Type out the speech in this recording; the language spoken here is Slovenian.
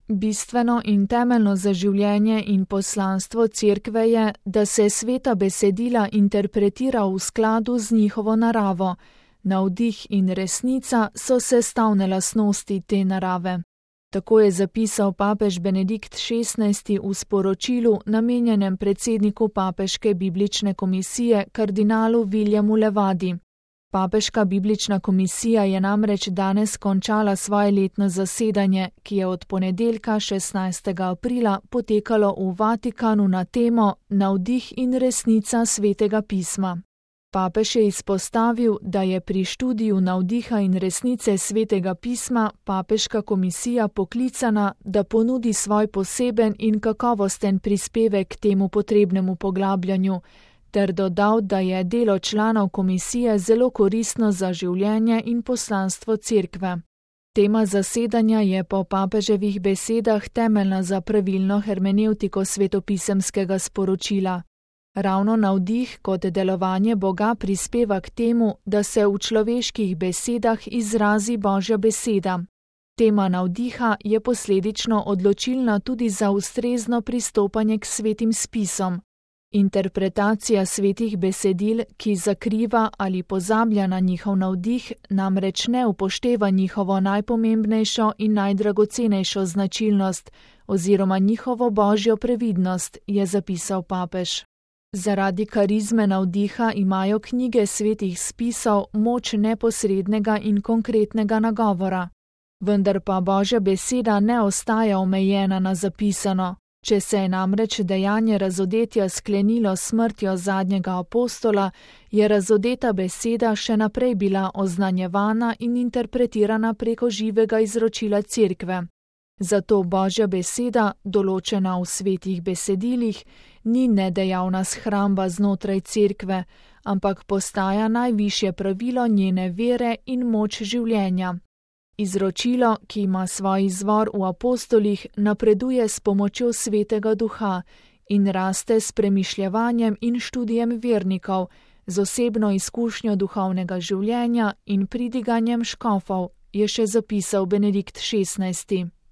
Bistveno in temeljno za življenje in poslanstvo Cerkve je, da se sveta besedila interpretira v skladu z njihovo naravo. Navdih in resnica so sestavne lastnosti te narave. Tako je zapisal papež Benedikt XVI v sporočilu, namenjenem predsedniku Papeške biblične komisije kardinalu Williamu Levadi. Papeška biblična komisija je namreč danes končala svoje letno zasedanje, ki je od ponedeljka 16. aprila potekalo v Vatikanu na temo Navdih in resnica Svetega pisma. Papež je izpostavil, da je pri študiju navdiha in resnice Svetega pisma Papeška komisija poklicana, da ponudi svoj poseben in kakovosten prispevek k temu potrebnemu poglabljanju, ter dodal, da je delo članov komisije zelo koristno za življenje in poslanstvo Cerkve. Tema zasedanja je po papeževih besedah temeljna za pravilno hermenevtiko svetopisemskega sporočila. Ravno navdih kot delovanje Boga prispeva k temu, da se v človeških besedah izrazi Božja beseda. Tema navdiha je posledično odločilna tudi za ustrezno pristopanje k svetim spisom. Interpretacija svetih besedil, ki zakriva ali pozablja na njihov navdih, namreč ne upošteva njihovo najpomembnejšo in najdragocenejšo značilnost oziroma njihovo božjo previdnost, je zapisal papež. Zaradi karizme navdiha imajo knjige svetih spisov moč neposrednega in konkretnega nagovora. Vendar pa Božja beseda ne ostaja omejena na zapisano. Če se je namreč dejanje razodetja sklenilo s smrtjo zadnjega apostola, je razodeta beseda še naprej bila oznanjevana in interpretirana preko živega izročila Cerkve. Zato Božja beseda, določena v svetih besedilih, ni nedejavna shramba znotraj Cerkve, ampak postaja najvišje pravilo njene vere in moč življenja. Izročilo, ki ima svoj izvor v apostolih, napreduje s pomočjo Svetega Duha in raste s premišljevanjem in študijem vernikov, z osebno izkušnjo duhovnega življenja in pridiganjem škofov, je še zapisal Benedikt XVI.